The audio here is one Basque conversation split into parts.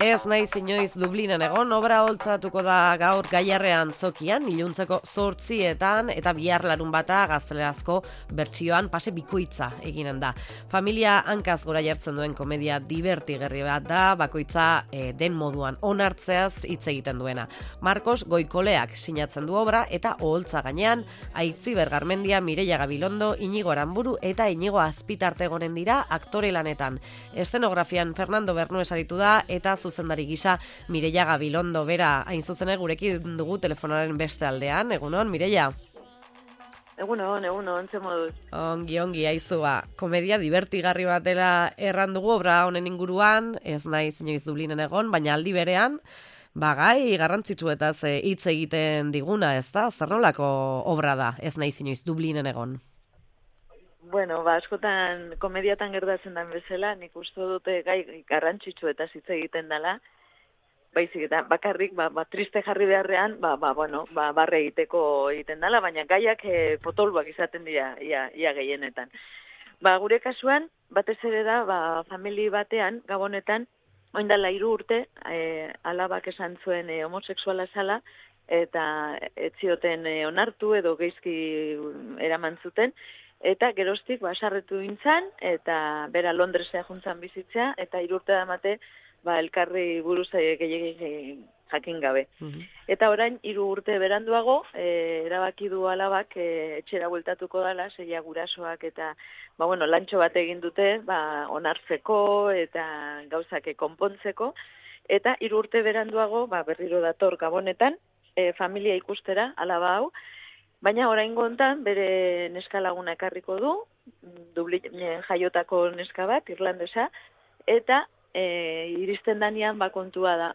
Ez naiz inoiz Dublinen egon, obra holtzatuko da gaur Gaiarrean Zokian, iluntzeko 8:00 eta bihar Larunbata gaztelerazko bertsioan pase bikoitza eginen da. Familia hankaz gora jartzen duen komedia divertigarri bat da, bakoitza den moduan onartzeaz hitz egiten duena. Marcos Goikoleak sinatzen du obra eta oholtza gainean Aitziber Garmendia, Mireia Gabilondo, Inigo Aranburu eta Inigo Azpitarte egonen dira aktore lanetan. Eszenografian Fernando Bernues aritu da eta zuzendari gisa Mireia Gabilondo bera, hain zuzen gurekin dugu telefonaren beste aldean. Egunon, Mireia? Egunon, ze moduz. Ongi, aizua. Komedia divertigarri bat dela erran dugu obra honen inguruan, ez naiz inoiz Dublinen egon, baina aldi berean, gai garrantzitsuetaz hitz egiten diguna, ez da? Zer nolako obra da, ez naiz inoiz Dublinen egon? Bueno, askotan komediatan gertatzen den bezala, nik uste dute gai garrantzitsuetaz hitz egiten dela, baizik eta bakarrik, triste jarri beharrean, barre egiteko egiten dela, baina gaiak potoluak izaten dira ia gehienetan. Gure kasuan, batez ere da, famili batean, Gabonetan, oindala 3 urte, alabak esan zuen homosexuala zala, eta ez zioten onartu edo geizki eraman zuten, eta geroztik sarretu gintzan, eta bera Londresea juntzan bizitzea, eta 3 urte damate elkarri buruz gehiagin jakin gabe. Eta orain 3 urte beranduago, erabaki du alabak etxera bueltatuko dela, zeia gurasoak eta lantxo bat egin dute, onartzeko eta gauzak konpontzeko, eta 3 urte beranduago berriro dator Gabonetan, familia ikustera, alaba hau, baina oraingo hontan bere neska laguna ekarriko du, Dublinen jaiotako neska bat, irlandesa, eta iristen danean kontua da,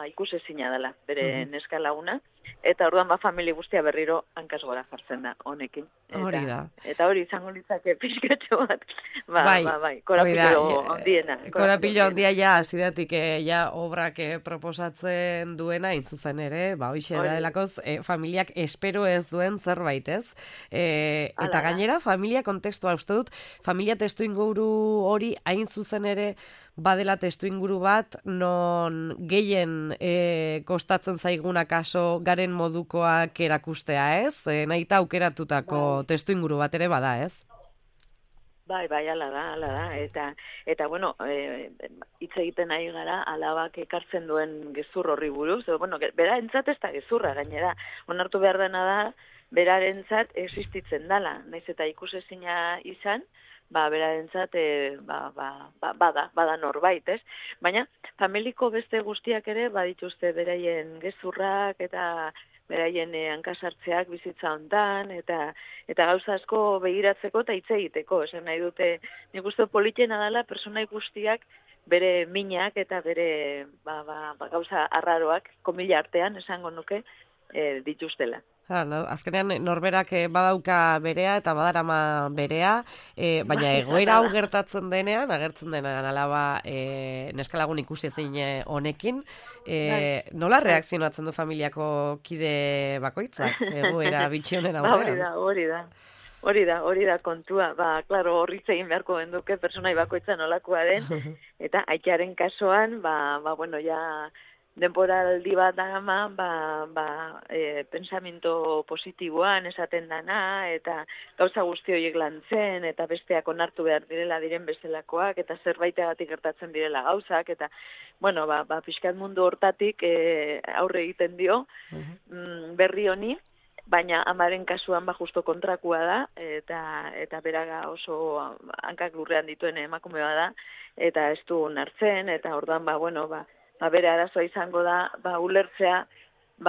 ikusezina dela bere neska laguna, eta orduan familia guztia berriro hankaz gora jartzen da honekin. Hori da. Eta hori izango litzake pixkatxo bat, korapilo handiena. Korapilo handia hasieratik obrak proposatzen duena, intzuzen ere, hoxe da delakoz, familiak espero ez duen zerbait, ez? Eta gainera, familia kontekstua, uste dut, familia testu inguru hori hain zuzen ere badela testu inguru bat, non gehien kostatzen zaiguna kaso garen modukoak erakustea, ez? Nahita aukeratutako testu inguru bat ere bada, ez? Bai, ala da, eta hitz egiten ari gara, alabak ekartzen duen gezur horri buruz, bera entzat ez da gezurra gainera, onartu behar dena da, berarentzat existitzen dela, naiz eta ikusezina izan, berarentzat bada norbait, ez? Baina, familiko beste guztiak ere, badituzte beraien gezurrak eta beraien hankasartzeak bizitza hontan, eta gauza asko begiratzeko eta hitz egiteko. Esan nahi dute, nik uste politena dela, persona guztiak bere minak eta bere gauza arraroak, komila artean, esango nuke, dituztela. Azkenean norberak badauka berea eta badarama berea, baina egoera hau gertatzen denean, agertzen denean alaba neskalagun ikusi ezin honekin, nola reakzionatzen du familiako kide bakoitzak egoera bitxi honen aurrean? Hori da kontua. Klaro, horritz egin beharko genduke personai bakoitza nolakoa den, eta aitaren kasuan, ja denboraldi bat dagama, pensamiento positiboan esaten dana, eta gauza guzti horiek lantzen, eta besteak onartu behar direla diren bestelakoak, eta zerbaitegatik gertatzen direla gauzak, eta, pixkat mundu hortatik aurre egiten dio berri honi, baina amaren kasuan justo kontrakua da, eta beraga oso hankak lurrean dituen emakume bada, eta ez du onartzen, eta orduan, bere arazoa izango da, ulertzea,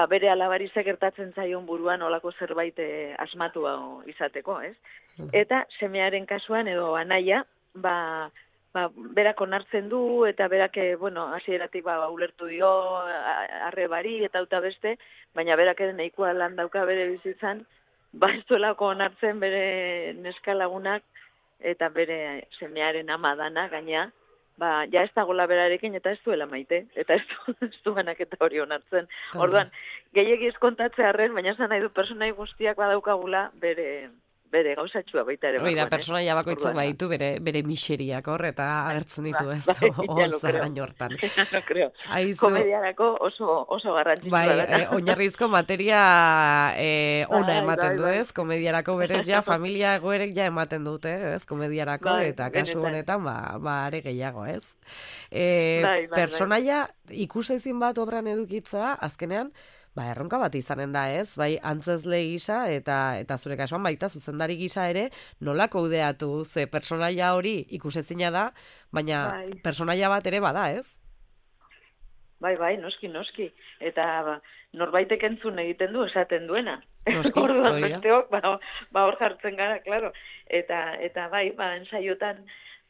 bere alabari gertatzen zaion buruan olako zerbait asmatu izateko, ez? Eta semearen kasuan edo anaia, berak onartzen du, eta berak, hasieratik ulertu dio, arrebari eta beste, baina berak ere nahikoa lan dauka bere bizitzan, ez duelako onartzen bere neskalagunak, eta bere semearen ama dana, gaina, ja ez dagoela berarekin eta ez duela maite, eta ez du banaketa hori onartzen. Orduan, gehiegi ez kontatzearren, baina esan nahi du personai guztiak badaukagula bere gauzatxua baita ere. Hoi da, personaia bakoitzak baditu bere miseriak hor, eta agertzen ditu ez, holtza gaino hortan. Komediarako oso garrantzitsua da. Oinarrizko materia ona ematen du ez, komediarako berez ja, familia egoerek ja ematen dute ez, komediarako, eta kasu honetan, are gehiago ez. Personaia ikusezin bat obran edukitza, azkenean, erronka bat izanen da ez, bai antzezle gisa eta zure kasuan baita zuzendari gisa ere nola kudeatu, ze personaia hori ikusezina da, baina personaia bat ere bada ez? Bai, noski. Eta norbaitek entzun egiten du esaten duena. Noski, hori da. Hor jartzen gara, klaro. Eta bai, ensaiotan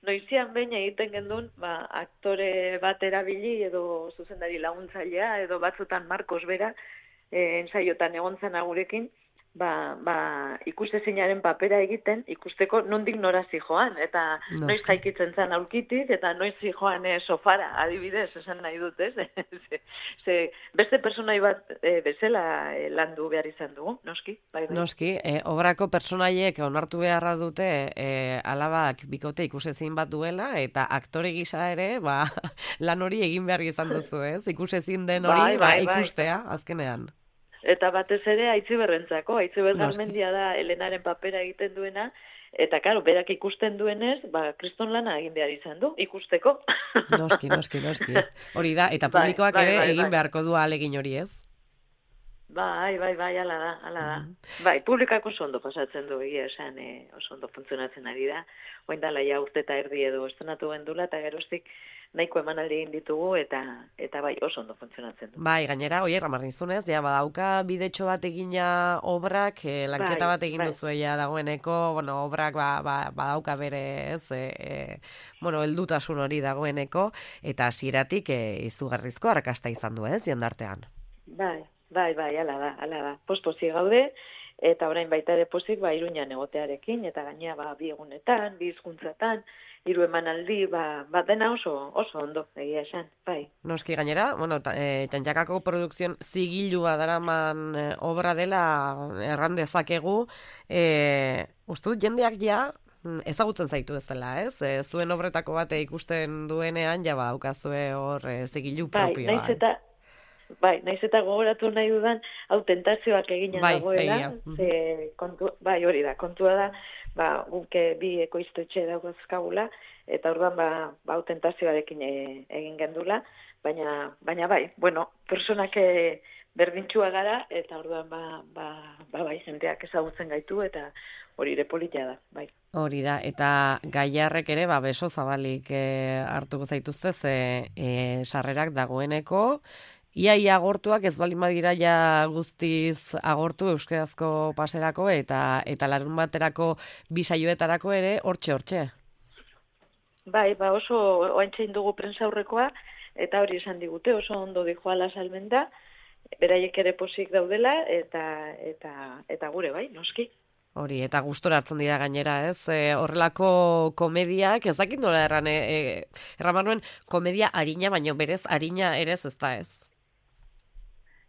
noizian behin egiten gendun, aktore bat erabili edo zuzendari laguntzailea edo batzutan Marcos bera ensaiotan egon zen agurekin, ikustezinaren papera egiten, ikusteko nondik nora zijoan, eta noiz jaikitzen zen aulkitik, eta noiz zijoan sofara, adibidez, esan nahi dut, ez? Beste personai bat bezala landu behar izan dugu, noski? Bai. Noski, obrako personaiek onartu beharra dute alabak bikote ikusezin bat duela, eta aktore gisa ere, lan hori egin behar izan duzu, ez? Ikusezin den hori, ikustea, azkenean. Eta batez ere Aitziberrentzako, Aitziber Garmendia da Elenaren papera egiten duena, eta karo, berak ikusten duenez, kriston lana egin behar izan du, ikusteko. Noski. Hori da, eta publikoak ere egin beharko du ahalegin hori ez? Bai, ala da. Bai, publikako oso ondo pasatzen du, egia esan, oso ondo funtzionatzen ari da. Oin dala ja urte eta erdi edo estrenatu gendula, eta geroztik nahiko emanaldi egin ditugu, eta bai, oso ondo funtzionatzen du. Bai, gainera, ramarnizunez, badauka bidetxo bat egina obrak, lanketa bat egin duzu dagoeneko, obrak badauka bere, ez, heldutasun hori dagoeneko, eta hasieratik izugarrizko arrakasta izan du, ez, jendartean. Bai, ala da. Pospozi gaude, eta orain baita ere pozik, Iruñan egotearekin, eta gainea bi egunetan, bi hizkuntzatan, 3 emanaldi, dena oso ondo, egia esan, bai. Noski gainera, Tantxakako produkzion zigilua daraman obra dela erran dezakegu, uste dut jendeak ezagutzen zaitu ez dela, ez? Zuen obretako bate ikusten duenean, badaukazue hor zigilu propioa. Naiz eta gogoratu nahi dudan, tentazioak egina dagoela. Hori da, kontua da, guk bi ekoiztetxe dagoazkagula, eta orduan tentazioarekin egin gendula, baina personak berdintxua gara, eta orduan jendeak ezagutzen gaitu, eta hori ere politia da, bai. Hori da, eta Gaiarrek ere beso zabalik hartuko zaituzte, sarrerak dagoeneko, Ia agortuak ez baldin badira guztiz agortu euskarazko paserako eta larun baterako bi saioetarako ere hortxe. Bai, oso oaintzein dugu prensaurrekoa eta hori esan digute, oso ondo dijoala salmenta, beraiek ere posik daudela eta gure bai, noski. Hori, eta gustora hartzen dira gainera, ez? Horrelako komediak, ez dakit nola erramanuen komedia harina, baino berez harina ere ez da ez?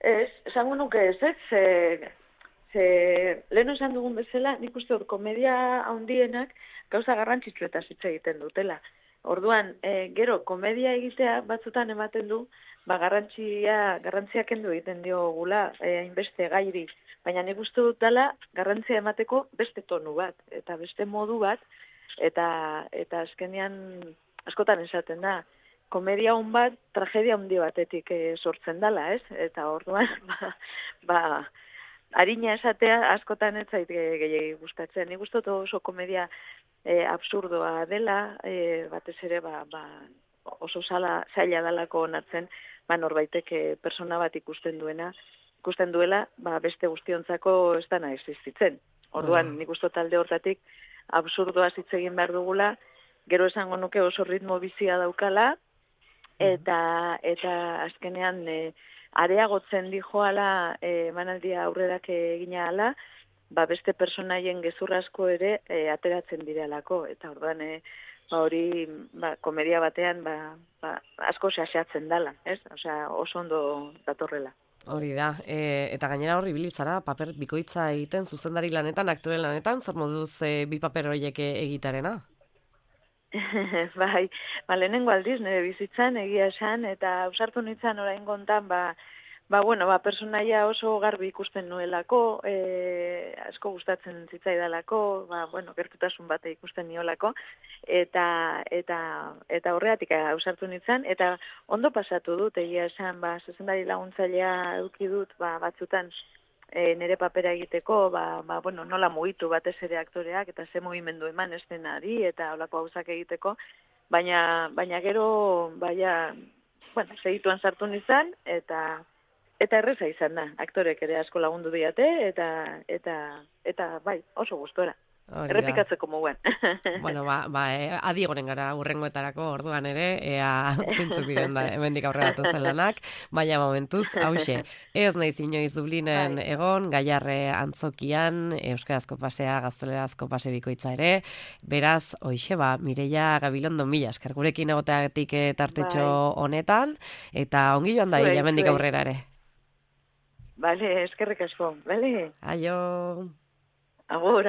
Ez, esango nuke ez, lehen esan dugun bezala, nik uste hor komedia handienak gauza garrantzitsuetaz hitz egiten dutela. Orduan, gero, komedia egitea batzutan ematen du, garrantziak kendu egiten diogula, hainbeste gairi. Baina nik uste dut dela, garrantzia emateko beste tonu bat, eta beste modu bat, eta azkenean askotan esaten da, komedia hon bat, tragedia handi batetik sortzen dela, ez? Eta orduan, harina esatea askotan ez zait gehiagi gustatzen. Nik uste dut oso komedia absurdoa dela, batez ere oso zaila dalako onartzen, norbaitek persona bat ikusten duela, beste guztiontzako ez dana existitzen. Orduan, nik uste talde hortatik absurdoa hitz egin behar dugula, gero esango nuke oso ritmo bizia daukala, eta azkenean areagotzen dijoala emanaldia aurrerak egina ala, beste personaien gezur asko ere ateratzen direlako, eta orduan hori komedia batean asko xaxatzen dala, ez? Osea, oso ondo datorrela. Hori da, eta gainera horri bilitzara, paper bikoitza egiten, zuzendari lanetan, aktore lanetan, zer moduz bi paper horiek egitarena? Bai, lehenengo aldiz nire bizitzan egia esan, eta ausartu nintzen orain gontan, personaia oso garbi ikusten nuelako, asko gustatzen zitzaidalako, gertutasun bate ikusten niolako, eta horregatik ausartu nintzen, eta ondo pasatu dut, egia esan, zuzendari laguntzailea eduki dut, batzutan nire papera egiteko, nola mugitu batez ere aktoreak, eta ze mugimendu eman eszenari, eta holako gauzak egiteko, baina gero, segituan sartu nintzen, eta erreza izan da, aktorek ere asko lagundu diate, eta bai, oso gustora. Errepikatzeko muguen. Bueno, adi egonen gara urrengoetarako orduan ere, ea zintzuk diren da, hemendik aurrera datozen lanak, baina momentuz, hauxe, ez naiz inoiz Dublinen egon, Gaiarre antzokian, euskarazko pasea, gaztelerazko pase bikoitza ere, beraz, hoxe, Mireia Gabilondo, mila esker gurekin egoteagatik tartetxo honetan, eta ongi joan da, hemendik aurrera ere. Bale, eskerrik asko, bale? Aio! Agur.